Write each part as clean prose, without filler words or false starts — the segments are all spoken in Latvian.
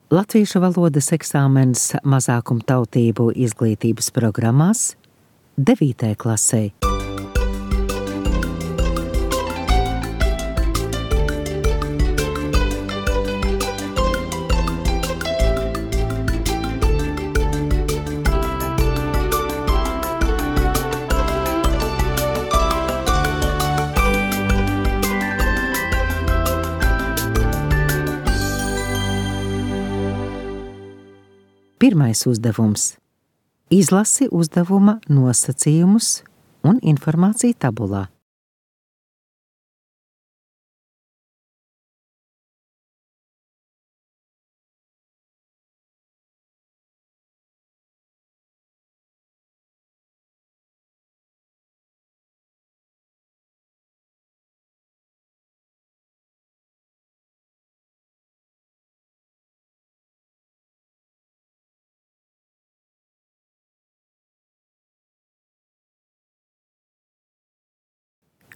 Latviešu valodas eksāmens mazākumtautību izglītības programmās 9. klasē. Pirmais uzdevums. Izlasi uzdevuma nosacījumus un informāciju tabulā.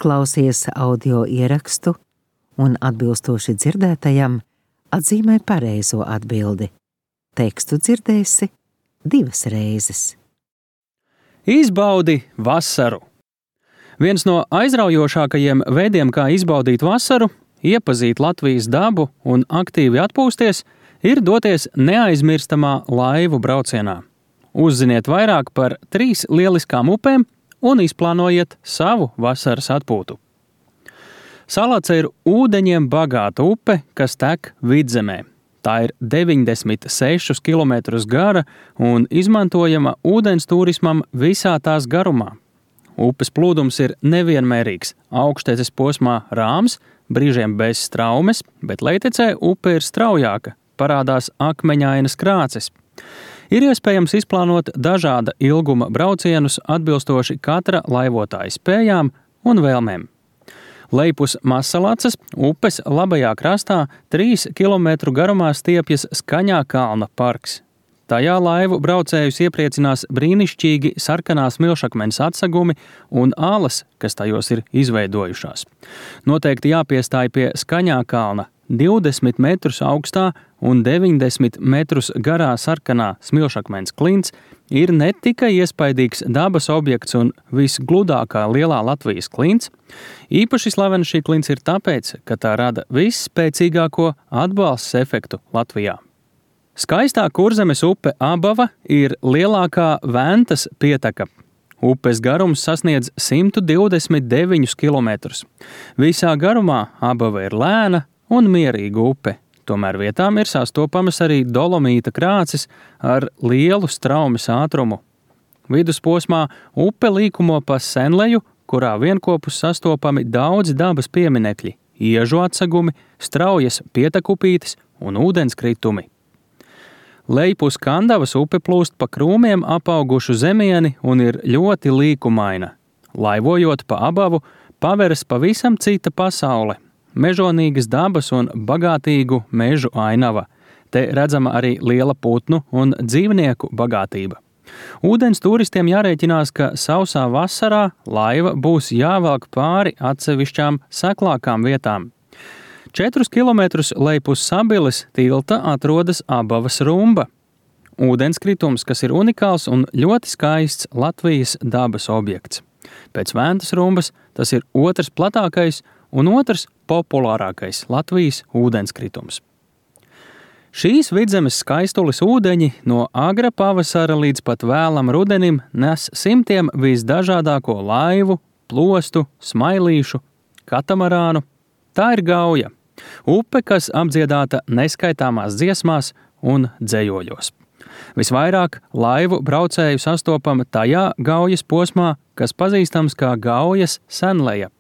Klausies audio ierakstu un atbilstoši dzirdētajam atzīmē pareizo atbildi. Tekstu dzirdēsi 2 reizes. Izbaudi vasaru. Viens no aizraujošākajiem veidiem, kā izbaudīt vasaru, iepazīt Latvijas dabu un aktīvi atpūsties, ir doties neaizmirstamā laivu braucienā. Uzziniet vairāk par 3 lieliskām upēm un izplānojiet savu vasaras atpūtu. Salace ir ūdeņiem bagāta upe, kas tek Vidzemē. Tā ir 96 km gara un izmantojama ūdens turismam visā tās garumā. Upes plūdums ir nevienmērīgs, augšteces posmā rāms, brīžiem bez straumes, bet lejtecē upe ir straujāka, parādās akmeņainas krāces. Ir iespējams izplānot dažāda ilguma braucienus atbilstoši katra laivotāja spējām un vēlmēm. Lejpus Massalacas upes labajā krastā 3 km garumā stiepjas Skaņā kalna parks. Tajā laivu braucējus iepriecinās brīnišķīgi sarkanās smilšakmens atsegumi un alas, kas tajos ir izveidojušās. Noteikti jāpiestāj pie Skaņā kalna 20 metrus augstā un 90 metrus garā sarkanā smilšakmens klints ir ne tikai iespaidīgs dabas objekts un visgludākā lielā Latvijas klints. Īpaši slavena šī klints ir tāpēc, ka tā rada visspēcīgāko atbalsts efektu Latvijā. Skaistā Kurzemes upe Abava ir lielākā Ventas pieteka. Upes garums sasniedz 129 km. Visā garumā Abava ir lēna un mierīga upe. Tomēr vietām ir sastopamas arī dolomīta krāces ar lielu straumes ātrumu. Vidusposmā upe līkumo pa senleju, kurā vienkopus sastopami daudzi dabas pieminekļi, iežu atsegumi, straujas pietekupītes un ūdenskritumi. Lejpus Kandavas upe plūst pa krūmiem apaugušu zemieni un ir ļoti līkumaina. Laivojot pa Abavu, paveras pavisam cita pasaule. Mežonīgas dabas un bagātīgu mežu ainava. Te redzama arī liela putnu un dzīvnieku bagātība. Ūdens turistiem jārēķinās, ka sausā vasarā laiva būs jāvelk pāri atsevišķām seklākām vietām. 4 km lejpus Sabiles tilta atrodas Abavas rumba. Ūdenskritums, kas ir unikāls un ļoti skaists Latvijas dabas objekts. Pēc Ventas rumbas tas ir otrs platākais un otrs populārākais Latvijas ūdenskritums. Šīs Vidzemes skaistules ūdeņi no agra pavasara līdz pat vēlam rudenim nes simtiem visdažādāko laivu, plostu, smailīšu, katamarānu. Tā ir Gauja, upe, kas apdziedāta neskaitāmās dziesmās un dzejojos. Visvairāk laivu braucēju sastopama tajā Gaujas posmā, kas pazīstams kā Gaujas senleja.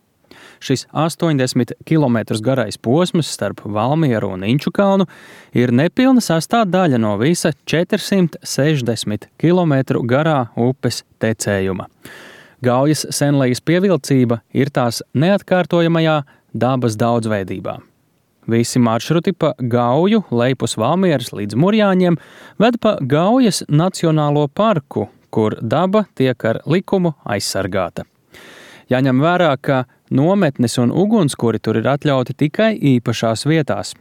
Šis 80 km garais posms starp Valmieru un Inčukalnu ir nepilna sastāvdaļa no visa 460 km garā upes tecējuma. Gaujas senlejas pievilcība ir tās neatkārtojamajā dabas daudzveidībā. Visi maršruti pa Gauju, lejpus Valmieras līdz Murjāņiem ved pa Gaujas Nacionālo parku, kur daba tiek ar likumu aizsargāta. Jāņem vērā, ka nometnes un ugunskuri tur ir atļauti tikai īpašās vietās.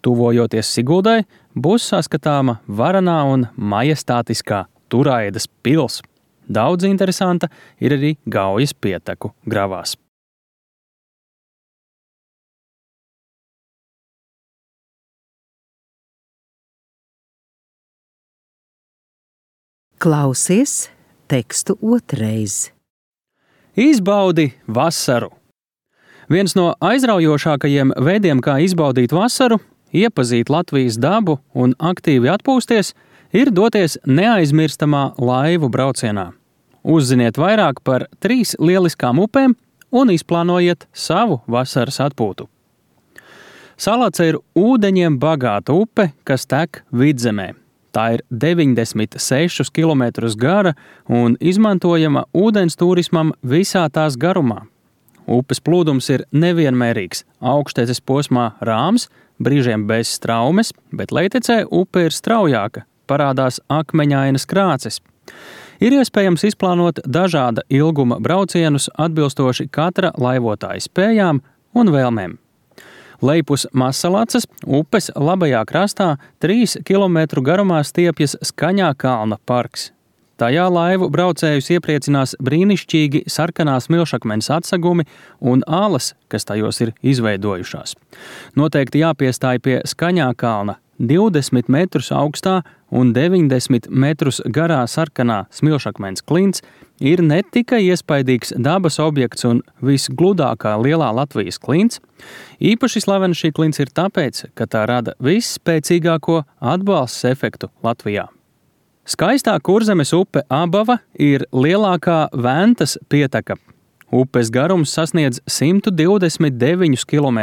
Tuvojoties Siguldai, būs saskatāma varanā un majestātiskā Turaidas pils. Daudz interesanta ir arī Gaujas pieteku gravās. Klausies tekstu otrreiz. Izbaudi vasaru! Viens no aizraujošākajiem veidiem, kā izbaudīt vasaru, iepazīt Latvijas dabu un aktīvi atpūsties, ir doties neaizmirstamā laivu braucienā. Uzziniet vairāk par 3 lieliskām upēm un izplānojiet savu vasaras atpūtu. Salace ir ūdeņiem bagāta upe, kas tek Vidzemē. Tā ir 96 km gara un izmantojama ūdens turismam visā tās garumā. Upes plūdums ir nevienmērīgs, augšteces posmā rāms, brīžiem bez straumes, bet lejtecē upe ir straujāka, parādās akmeņainas krāces. Ir iespējams izplānot dažāda ilguma braucienus atbilstoši katra laivotāja spējām un vēlmēm. Lejpus Masalaces upes labajā krastā 3 km garumā stiepjas Skaņā kalna parks. Tajā laivu braucējus iepriecinās brīnišķīgi sarkanās milšakmeņa atsegumi un alas, kas tajos ir izveidojušās. Noteikti jāpiestāj pie Skaņā kalna 20 metrus augstā un 90 metrus garā sarkanā smilšakmens klints ir ne tikai iespaidīgs dabas objekts un visgludākā lielā Latvijas klints, īpaši slavena šī klints ir tāpēc, ka tā rada visspēcīgāko atbalsts efektu Latvijā. Skaistā Kurzemes upe Abava ir lielākā Ventas pieteka. Upes garums sasniedz 129 km.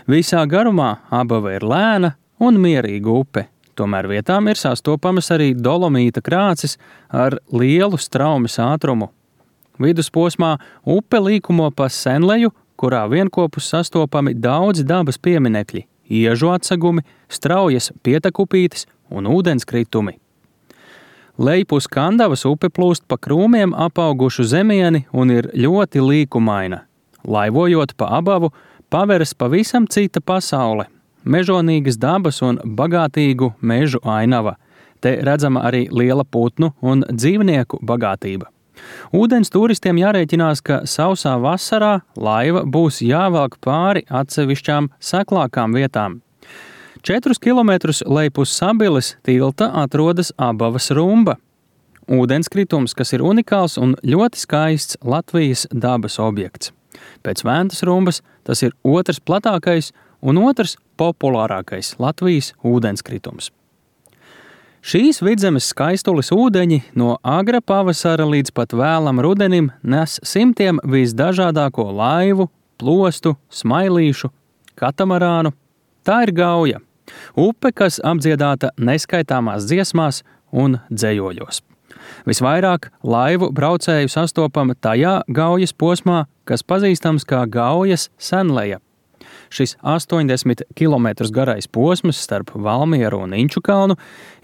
Visā garumā Abava ir lēna un mierīga upe. Tomēr vietām ir sastopamas arī dolomīta krāces ar lielu straumes ātrumu. Vidusposmā upe līkumo pa senleju, kurā vienkopus sastopami daudzi dabas pieminekļi, iežu atsegumi, straujas pietekupītes un ūdenskritumi. Lejpus Kandavas upe plūst pa krūmiem apaugušu zemieni un ir ļoti līkumaina. Laivojot pa Abavu, paveras pavisam cita pasaule. Mežonīgas dabas un bagātīgu mežu ainava. Te redzama arī liela putnu un dzīvnieku bagātība. Ūdens turistiem jārēķinās, ka sausā vasarā laiva būs jāvelk pāri atsevišķām seklākām vietām. 4 km lejpus Sabiles tilta atrodas Abavas rumba. Ūdenskritums, kas ir unikāls un ļoti skaists Latvijas dabas objekts. Pēc Ventas rumbas tas ir otrs platākais un otrs populārākais Latvijas ūdenskritums. Šīs Vidzemes skaistules ūdeņi no agra pavasara līdz pat vēlam rudenim nes simtiem visdažādāko laivu, plostu, smailīšu, katamarānu. Tā ir Gauja, upe, kas apdziedāta neskaitāmās dziesmās un dzējoļos. Visvairāk laivu braucēju sastopama tajā Gaujas posmā, kas pazīstams kā Gaujas senleja. Šis 80 km garais posms starp Valmieru un Inčukalnu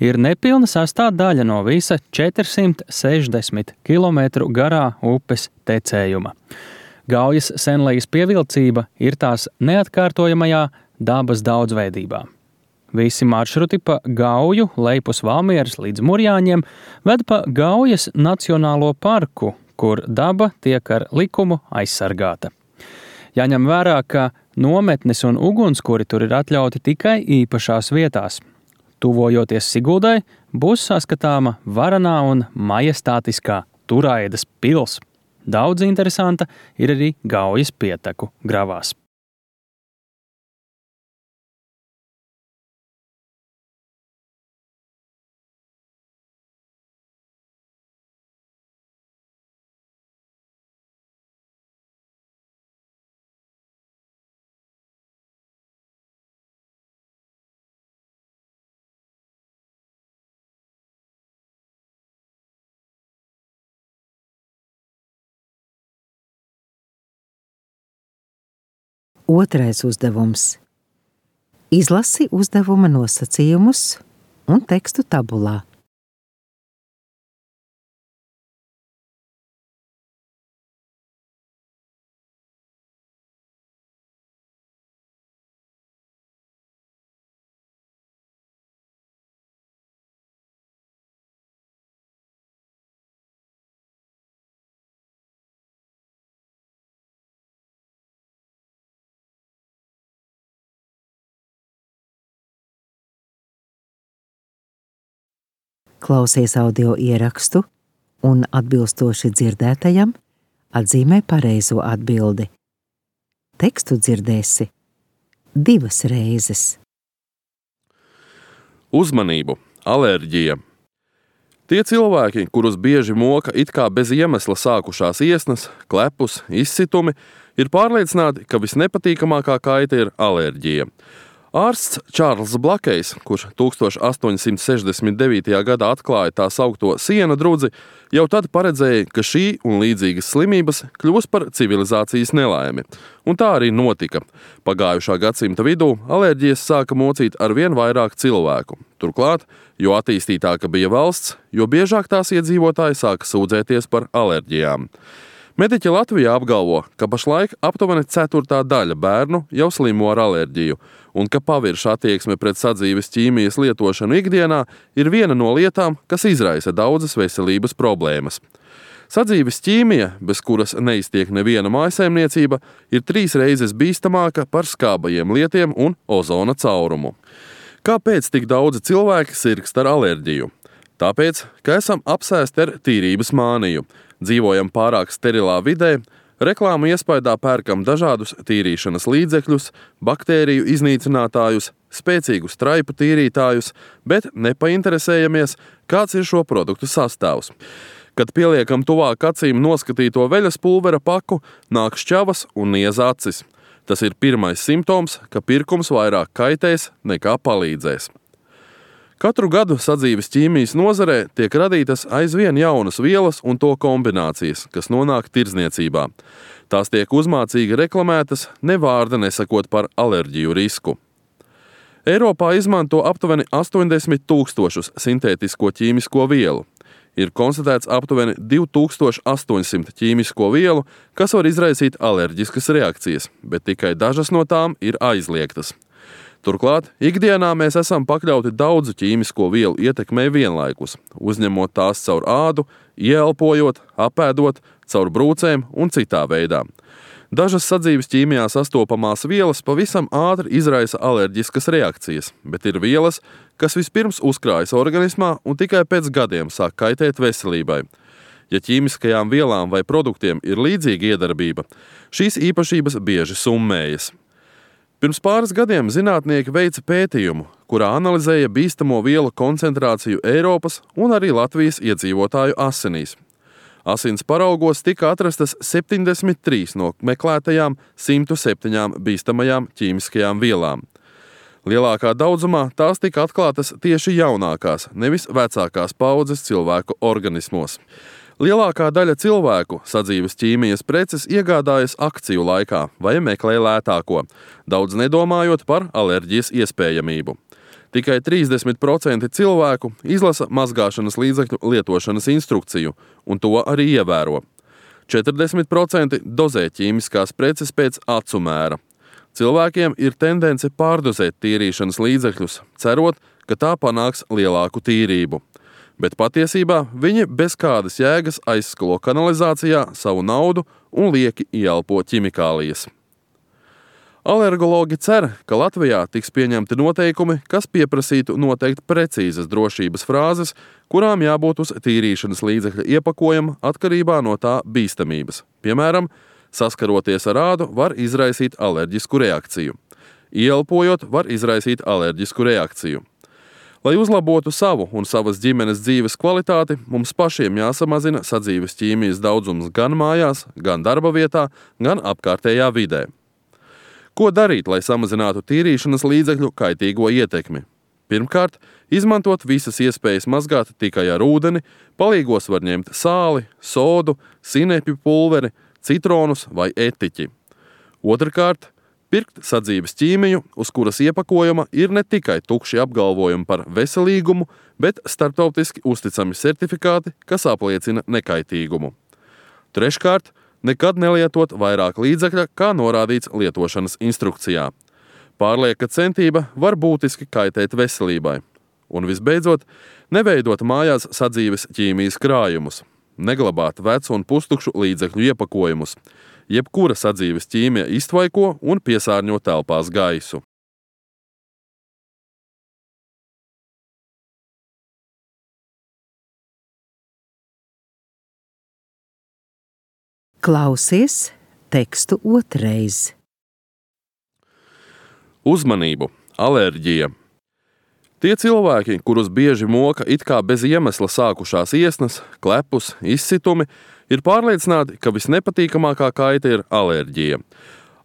ir nepilna sastāvdaļa no visa 460 km garā upes tecējuma. Gaujas senlejas pievilcība ir tās neatkārtojamajā dabas daudzveidībā. Visi maršruti pa Gauju, lejpus Valmieras līdz Murjāņiem ved pa Gaujas Nacionālo parku, kur daba tiek ar likumu aizsargāta. Jāņem vērā, ka nometnes un ugunskuri tur ir atļauti tikai īpašās vietās. Tuvojoties Siguldai, būs saskatāma varanā un majestātiskā Turaidas pils. Daudz interesanta ir arī Gaujas pieteku gravās. Otrais uzdevums. Izlasi uzdevuma nosacījumus un tekstu tabulā. klausies audio ierakstu un atbilstoši dzirdētajam atzīmē pareizo atbildi. Tekstu dzirdēsi 2 reizes. Uzmanību! Alerģija! Tie cilvēki, kurus bieži moka it kā bez iemesla sākušās iesnas, klepus, izsitumi, ir pārliecināti, ka visnepatīkamākā kaita ir alerģija. Ārsts Čārls Blakejs, kurš 1869. gadā atklāja tā saukto siena drudzi, jau tad paredzēja, ka šī un līdzīgas slimības kļūs par civilizācijas nelaimi. Un tā arī notika. Pagājušā gadsimta vidū alerģijas sāka mocīt arvien vairāk cilvēku. Turklāt, jo attīstītāka bija valsts, jo biežāk tās iedzīvotāji sāka sūdzēties par alerģijām. Mediķi Latvijā apgalvo, ka pašlaik aptuveni 1/4 daļa bērnu jau slimo ar alerģiju, un ka pavirša attieksme pret sadzīves ķīmijas lietošanu ikdienā ir viena no lietām, kas izraisa daudzas veselības problēmas. Sadzīves ķīmija, bez kuras neiztiek neviena mājsaimniecība, ir 3 reizes bīstamāka par skābajiem lietiem un ozona caurumu. Kāpēc tik daudzi cilvēki sirgst ar alerģiju? Tāpēc, ka esam apsēsti ar tīrības māniju, dzīvojam pārāk sterilā vidē, reklāmu iespaidā pērkam dažādus tīrīšanas līdzekļus, baktēriju iznīcinātājus, spēcīgus traipu tīrītājus, bet nepainteresējamies, kāds ir šo produktu sastāvs. Kad pieliekam tuvāk acīm noskatīto veļas pulvera paku, nāk šķavas un niez acis. Tas ir pirmais simptoms, ka pirkums vairāk kaitēs nekā palīdzēs. Katru gadu sadzīves ķīmijas nozarē tiek radītas aizvien jaunas vielas un to kombinācijas, kas nonāk tirdzniecībā. Tās tiek uzmācīgi reklamētas, ne vārda nesakot par alerģiju risku. Eiropā izmanto aptuveni 80 000 sintētisko ķīmisko vielu. Ir konstatēts aptuveni 2800 ķīmisko vielu, kas var izraisīt alerģiskas reakcijas, bet tikai dažas no tām ir aizliegtas. Turklāt, ikdienā mēs esam pakļauti daudzu ķīmisko vielu ietekmei vienlaikus, uzņemot tās caur ādu, ieelpojot, apēdot, caur brūcēm un citā veidā. Dažas sadzīves ķīmijā sastopamās vielas pavisam ātri izraisa alerģiskas reakcijas, bet ir vielas, kas vispirms uzkrājas organismā un tikai pēc gadiem sāk kaitēt veselībai. Ja ķīmiskajām vielām vai produktiem ir līdzīga iedarbība, šīs īpašības bieži summējas. Pirms pāris gadiem zinātnieki veica pētījumu, kurā analizēja bīstamo vielu koncentrāciju Eiropas un arī Latvijas iedzīvotāju asinīs. Asins paraugos tika atrastas 73 no meklētajām 107 bīstamajām ķīmiskajām vielām. Lielākā daudzumā tās tika atklātas tieši jaunākās, nevis vecākās paaudzes cilvēku organismos. Lielākā daļa cilvēku sadzīves ķīmijas preces iegādājas akciju laikā vai meklē lētāko, daudz nedomājot par alerģijas iespējamību. Tikai 30% cilvēku izlasa mazgāšanas līdzekļu lietošanas instrukciju, un to arī ievēro. 40% dozē ķīmiskās preces pēc acu mēra. Cilvēkiem ir tendence pārdozēt tīrīšanas līdzekļus, cerot, ka tā panāks lielāku tīrību. Bet patiesībā viņi bez kādas jēgas aizskalo kanalizācijā savu naudu un lieki ieelpo ķimikālijas. Alergologi cer, ka Latvijā tiks pieņemti noteikumi, kas pieprasītu noteikt precīzas drošības frāzes, kurām jābūt uz tīrīšanas līdzekļa iepakojuma atkarībā no tā bīstamības. Piemēram, saskaroties ar ādu var izraisīt alerģisku reakciju. Ieelpojot var izraisīt alerģisku reakciju. Lai uzlabotu savu un savas ģimenes dzīves kvalitāti, mums pašiem jāsamazina sadzīves ķīmijas daudzums gan mājās, gan darba vietā, gan apkārtējā vidē. Ko darīt, lai samazinātu tīrīšanas līdzekļu kaitīgo ietekmi? Pirmkārt, izmantot visas iespējas mazgāt tikai ar ūdeni, palīgos var ņemt sāli, sodu, sinepju pulveri, citronus vai etiķi. Otrkārt, pirkt sadzīves ķīmiju, uz kuras iepakojuma ir ne tikai tukši apgalvojumi par veselīgumu, bet starptautiski uzticami certifikāti, kas apliecina nekaitīgumu. Treškārt, nekad nelietot vairāk līdzekļa, kā norādīts lietošanas instrukcijā. Pārlieka centība var būtiski kaitēt veselībai. Un visbeidzot, neveidot mājās sadzīves ķīmijas krājumus, neglabāt vecu un pustukšu līdzekļu iepakojumus. Jebkura sadzīves ķīmija iztvaiko un piesārņo telpās gaisu. Klausies tekstu otrreiz. Uzmanību! Alerģija! Tie cilvēki, kurus bieži moka it kā bez iemesla sākušās iesnas, klepus, izsitumi, ir pārliecināti, ka visnepatīkamākā kaita ir alerģija.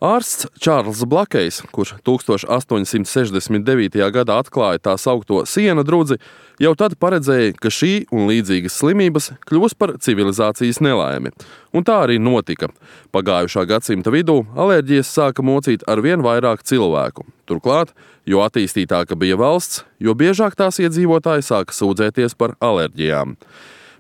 Ārsts Čārls Blakejs, kurš 1869. gadā atklāja tā saukto siena drudzi, jau tad paredzēja, ka šī un līdzīgas slimības kļūs par civilizācijas nelaimi. Un tā arī notika. Pagājušā gadsimta vidū alerģijas sāka mocīt arvien vairāk cilvēku. Turklāt, jo attīstītāka bija valsts, jo biežāk tās iedzīvotāji sāka sūdzēties par alerģijām.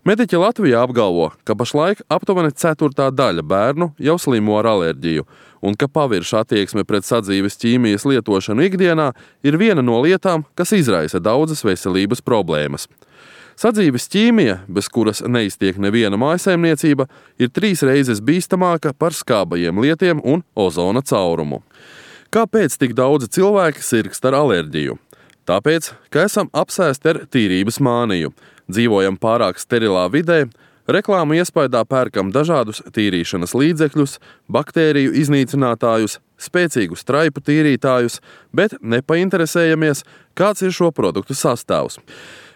Mediķi Latvijā apgalvo, ka pašlaik aptuveni 1/4 daļa bērnu jau slimo ar alerģiju, un ka pavirša attieksme pret sadzīves ķīmijas lietošanu ikdienā ir viena no lietām, kas izraisa daudzas veselības problēmas. Sadzīves ķīmija, bez kuras neiztiek neviena mājsaimniecība, ir 3 reizes bīstamāka par skābajiem lietiem un ozona caurumu. Kāpēc tik daudzi cilvēki sirgst ar alerģiju? Tāpēc, ka esam apsēsti ar tīrības māniju, dzīvojam pārāk sterilā vidē, reklāmu iespaidā pērkam dažādus tīrīšanas līdzekļus, baktēriju iznīcinātājus, spēcīgus traipu tīrītājus, bet nepainteresējamies, kāds ir šo produktu sastāvs.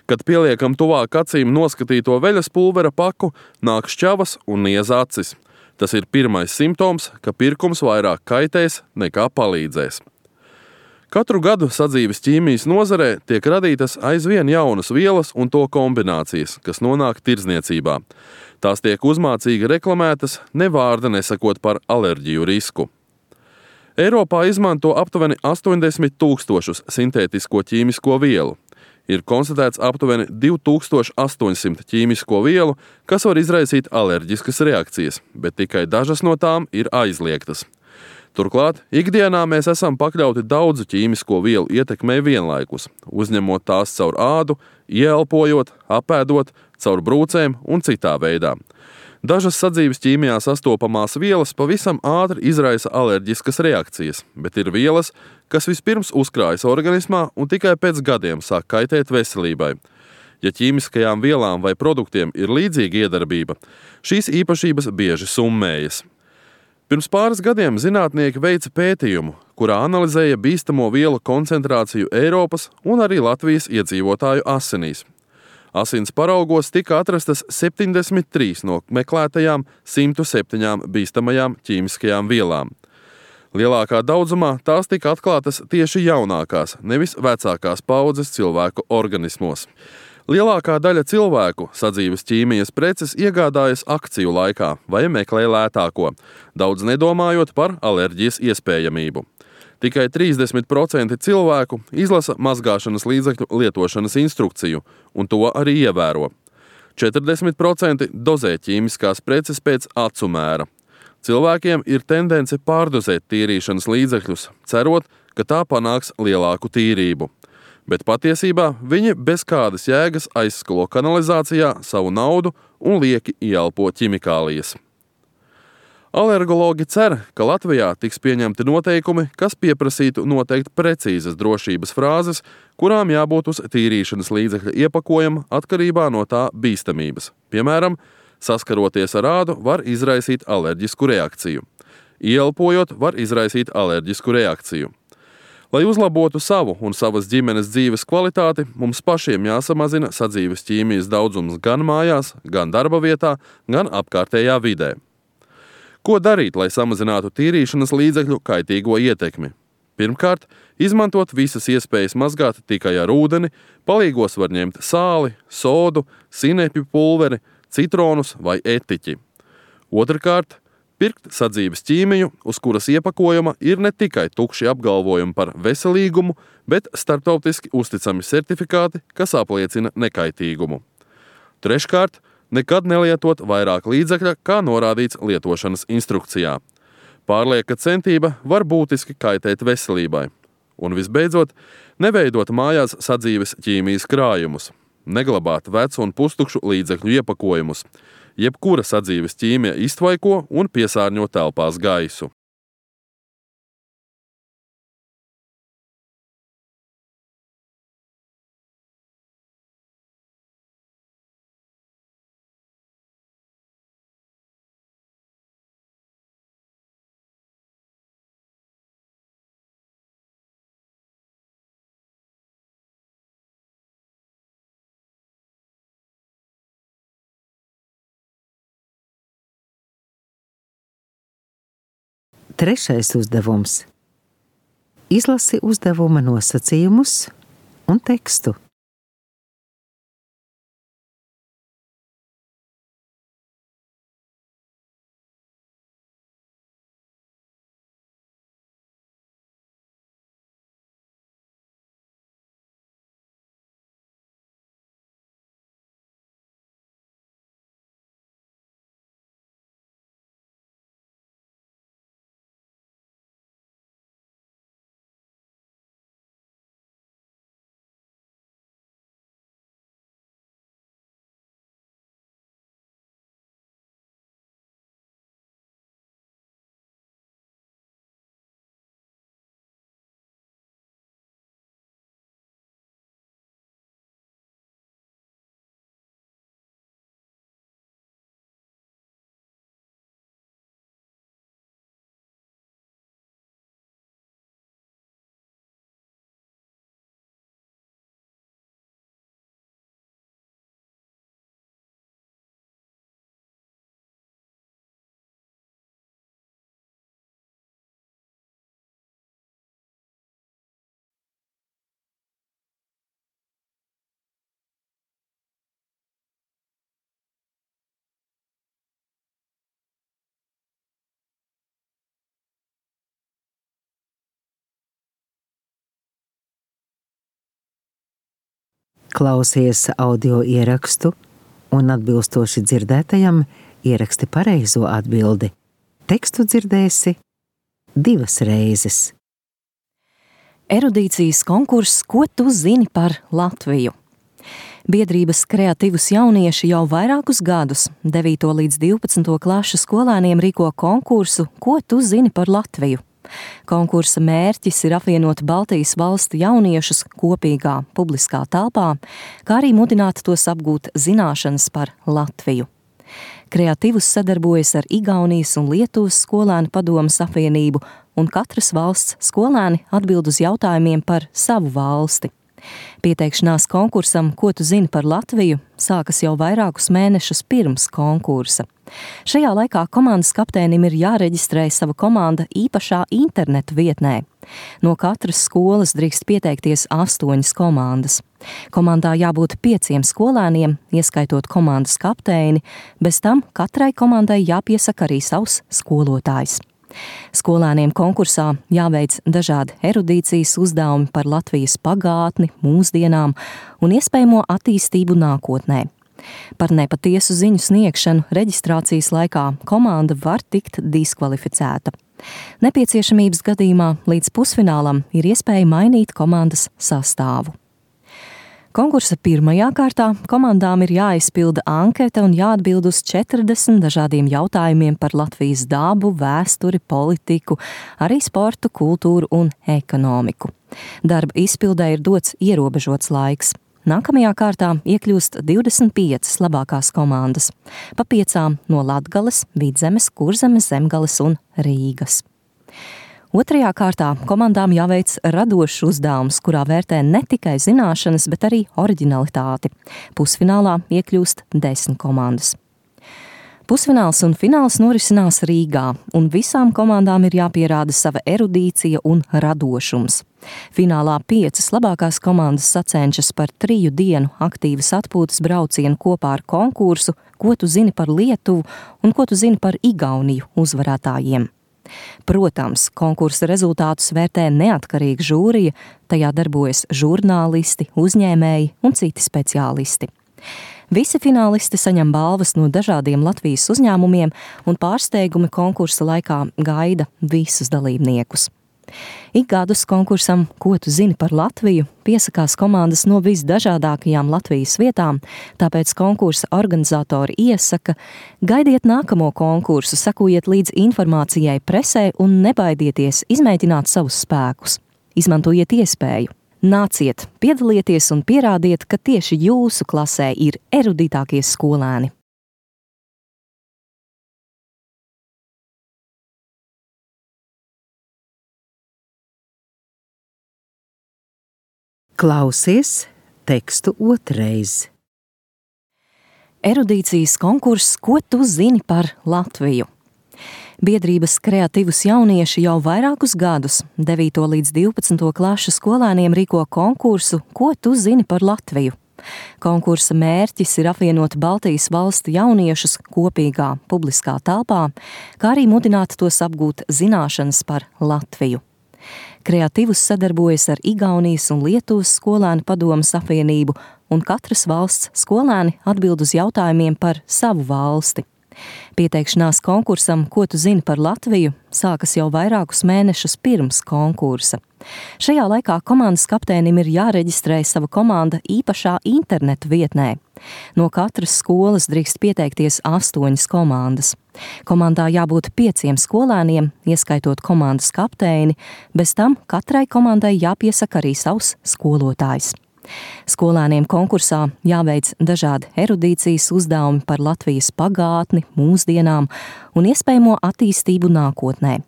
Kad pieliekam tuvāk acīm noskatīto veļas pulvera paku, nāk šķavas un niez acis. Tas ir pirmais simptoms, ka pirkums vairāk kaitēs nekā palīdzēs. Katru gadu sadzīves ķīmijas nozarē tiek radītas aizvien jaunas vielas un to kombinācijas, kas nonāk tirdzniecībā. Tās tiek uzmācīgi reklamētas, ne vārda nesakot par alerģiju risku. Eiropā izmanto aptuveni 80 000 sintētisko ķīmisko vielu. Ir konstatēts aptuveni 2800 ķīmisko vielu, kas var izraisīt alerģiskas reakcijas, bet tikai dažas no tām ir aizliegtas. Turklāt, ikdienā mēs esam pakļauti daudzu ķīmisko vielu ietekmei vienlaikus, uzņemot tās caur ādu, ieelpojot, apēdot, caur brūcēm un citā veidā. Dažas sadzīves ķīmijā sastopamās vielas pavisam ātri izraisa alerģiskas reakcijas, bet ir vielas, kas vispirms uzkrājas organismā un tikai pēc gadiem sāk kaitēt veselībai. Ja ķīmiskajām vielām vai produktiem ir līdzīga iedarbība, šīs īpašības bieži summējas. Pirms pāris gadiem zinātnieki veica pētījumu, kurā analizēja bīstamo vielu koncentrāciju Eiropas un arī Latvijas iedzīvotāju asinīs. Asins paraugos tika atrastas 73 no meklētajām 107 bīstamajām ķīmiskajām vielām. Lielākā daudzumā tās tika atklātas tieši jaunākās, nevis vecākās paudzes cilvēku organismos. Lielākā daļa cilvēku sadzīves ķīmijas preces iegādājas akciju laikā vai meklē lētāko, daudz nedomājot par alerģijas iespējamību. Tikai 30% cilvēku izlasa mazgāšanas līdzekļu lietošanas instrukciju, un to arī ievēro. 40% dozē ķīmiskās preces pēc acu mēra. Cilvēkiem ir tendence pārdozēt tīrīšanas līdzekļus, cerot, ka tā panāks lielāku tīrību. Bet patiesībā viņi bez kādas jēgas aizskalo kanalizācijā savu naudu un lieki ieelpo ķimikālijas. Alergologi cer, ka Latvijā tiks pieņemti noteikumi, kas pieprasītu noteikt precīzas drošības frāzes, kurām jābūt uz tīrīšanas līdzekļa iepakojuma atkarībā no tā bīstamības. Piemēram, saskaroties ar ādu var izraisīt alerģisku reakciju. Ieelpojot var izraisīt alerģisku reakciju. Lai uzlabotu savu un savas ģimenes dzīves kvalitāti, mums pašiem jāsamazina sadzīves ķīmijas daudzums gan mājās, gan darba vietā, gan apkārtējā vidē. Ko darīt, lai samazinātu tīrīšanas līdzekļu kaitīgo ietekmi? Pirmkārt, izmantot visas iespējas mazgāt tikai ar ūdeni, palīgos var ņemt sāli, sodu, sinepju pulveri, citronus vai etiķi. Otrkārt, pirkt sadzīves ķīmiju, uz kuras iepakojuma ir ne tikai tukši apgalvojumi par veselīgumu, bet starptautiski uzticami certifikāti, kas apliecina nekaitīgumu. Treškārt, nekad nelietot vairāk līdzekļa, kā norādīts lietošanas instrukcijā. Pārlieka centība var būtiski kaitēt veselībai. Un visbeidzot, neveidot mājās sadzīves ķīmijas krājumus, neglabāt vecu un pustukšu līdzekļu iepakojumus. Jebkura sadzīves ķīmija iztvaiko un piesārņo telpās gaisu. Trešais uzdevums. Izlasi uzdevuma nosacījumus un tekstu. Klausies audio ierakstu un atbilstoši dzirdētajam ieraksti pareizo atbildi. Tekstu dzirdēsi 2 reizes. Erudīcijas konkurss Ko tu zini par Latviju? Biedrības Kreatīvus jaunieši jau vairākus gadus 9. līdz 12. klašu skolēniem rīko konkursu Ko tu zini par Latviju? Konkursa mērķis ir apvienot Baltijas valstu jauniešus kopīgā publiskā telpā, kā arī mudināt tos apgūt zināšanas par Latviju. Kreatīvus sadarbojas ar Igaunijas un Lietuvas skolēnu padomes apvienību, un katras valsts skolēni atbild uz jautājumiem par savu valsti. Pieteikšanās konkursam Ko tu zini par Latviju sākas jau vairākus mēnešus pirms konkursa. Šajā laikā komandas kapteinim ir jāreģistrē sava komanda īpašā internetu vietnē. No katras skolas drīkst pieteikties 8 komandas. Komandā jābūt 5 skolēniem, ieskaitot komandas kapteini, bez tam katrai komandai jāpiesaka arī savs skolotājs. Skolēniem konkursā jāveic dažādi erudīcijas uzdevumi par Latvijas pagātni, mūsdienām un iespējamo attīstību nākotnē. Par nepatiesu ziņu sniegšanu reģistrācijas laikā komanda var tikt diskvalificēta. Nepieciešamības gadījumā līdz pusfinālam ir iespēja mainīt komandas sastāvu. Konkursa pirmajā kārtā komandām ir jāizpilda ankete un jāatbild uz 40 dažādiem jautājumiem par Latvijas dabu, vēsturi, politiku, arī sportu, kultūru un ekonomiku. Darba izpildē ir dots ierobežots laiks. Nākamajā kārtā iekļūst 25 labākās komandas, pa 5 no Latgales, Vidzemes, Kurzemes, Zemgales un Rīgas. Otrajā kārtā komandām jāveic radošs uzdevums, kurā vērtē ne tikai zināšanas, bet arī oriģinalitāti. Pusfinālā iekļūst 10 komandas. Pusfināls un fināls norisinās Rīgā, un visām komandām ir jāpierāda sava erudīcija un radošums. Finālā 5 labākās komandas sacenšas par 3 dienu aktīvas atpūtas braucienu kopā ar konkursu Ko tu zini par Lietuvu un Ko tu zini par Igauniju uzvarētājiem. Protams, konkursa rezultātus vērtē neatkarīga žūrija, tajā darbojas žurnālisti, uzņēmēji un citi speciālisti. Visi finālisti saņem balvas no dažādiem Latvijas uzņēmumiem, un pārsteigumi konkursa laikā gaida visus dalībniekus. Ik gadus konkursam Ko tu zini par Latviju piesakās komandas no visdažādākajām Latvijas vietām, tāpēc konkursa organizatori iesaka: gaidiet nākamo konkursu, sekojiet līdz informācijai presē un nebaidieties izmēģināt savus spēkus. Izmantojiet iespēju. Nāciet, piedalieties un pierādiet, ka tieši jūsu klasē ir erudītākie skolēni. Klausies tekstu otrreiz. Erudīcijas konkurss Ko tu zini par Latviju? Biedrības Kreatīvus jaunieši jau vairākus gadus 9. līdz 12. klašu skolēniem rīko konkursu Ko tu zini par Latviju? Konkursa mērķis ir apvienot Baltijas valstu jauniešus kopīgā publiskā telpā, kā arī mudināt tos apgūt zināšanas par Latviju. Kreatīvus sadarbojas ar Igaunijas un Lietuvas skolēnu padomes apvienību, un katras valsts skolēni atbild uz jautājumiem par savu valsti. Pieteikšanās konkursam Ko tu zini par Latviju sākas jau vairākus mēnešus pirms konkursa. Šajā laikā komandas kapteinim ir jāreģistrē sava komanda īpašā internetu vietnē. No katras skolas drīkst pieteikties 8 komandas. Komandā jābūt 5 skolēniem, ieskaitot komandas kapteini, bez tam katrai komandai jāpiesaka arī savs skolotājs. Skolēniem konkursā jāveic dažādi erudīcijas uzdevumi par Latvijas pagātni, mūsdienām un iespējamo attīstību nākotnē.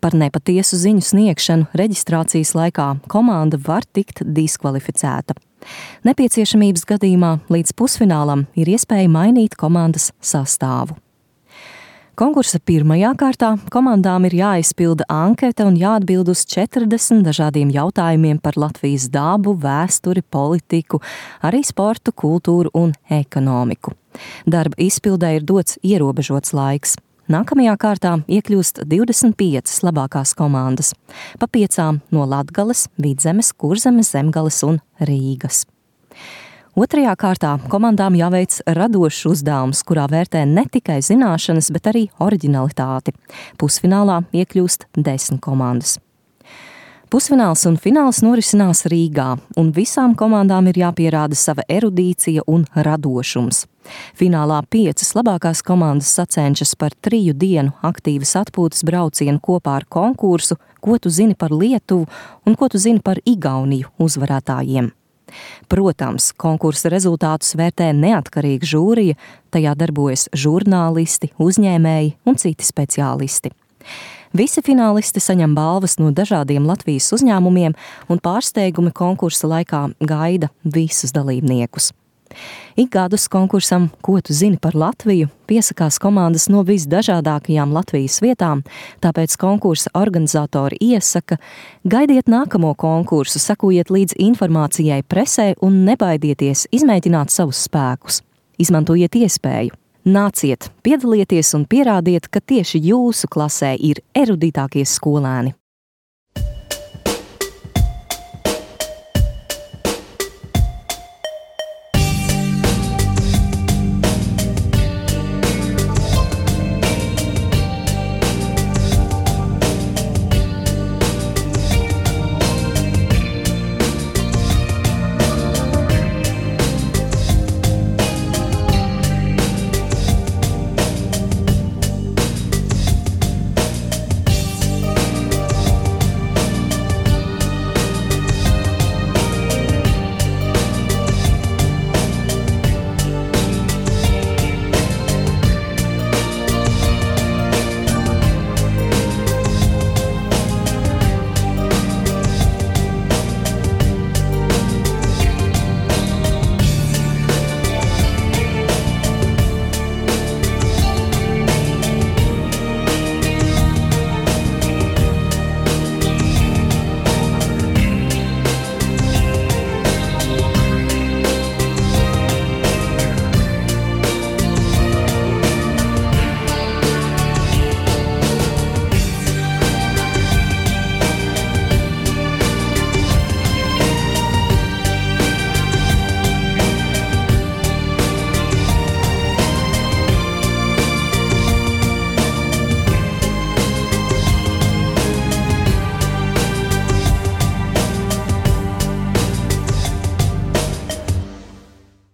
Par nepatiesu ziņu sniegšanu reģistrācijas laikā komanda var tikt diskvalificēta. Nepieciešamības gadījumā līdz pusfinālam ir iespēja mainīt komandas sastāvu. Konkursa pirmajā kārtā komandām ir jāizpilda ankete un jāatbild uz 40 dažādiem jautājumiem par Latvijas dabu, vēsturi, politiku, arī sportu, kultūru un ekonomiku. Darba izpildē ir dots ierobežots laiks. Nākamajā kārtā iekļūst 25 labākās komandas, pa 5 no Latgales, Vidzemes, Kurzemes, Zemgales un Rīgas. Otrajā kārtā komandām jāveic radošs uzdevums, kurā vērtē ne tikai zināšanas, bet arī oriģinalitāti. Pusfinālā iekļūst 10 komandas. Pusfināls un fināls norisinās Rīgā, un visām komandām ir jāpierāda sava erudīcija un radošums. Finālā 5 labākās komandas sacenšas par 3 dienu aktīvas atpūtas braucienu kopā ar konkursu Ko tu zini par Lietuvu un Ko tu zini par Igauniju uzvarētājiem. Protams, konkursa rezultātus vērtē neatkarīga žūrija, tajā darbojas žurnālisti, uzņēmēji un citi speciālisti. Visi finālisti saņem balvas no dažādiem Latvijas uzņēmumiem, un pārsteigumi konkursa laikā gaida visus dalībniekus. Ik gadus konkursam Ko tu zini par Latviju piesakās komandas no visdažādākajām Latvijas vietām, tāpēc konkursa organizatori iesaka: gaidiet nākamo konkursu, sekojiet līdz informācijai presē un nebaidieties izmēģināt savus spēkus. Izmantojiet iespēju. Nāciet, piedalieties un pierādiet, ka tieši jūsu klasē ir erudītākie skolēni.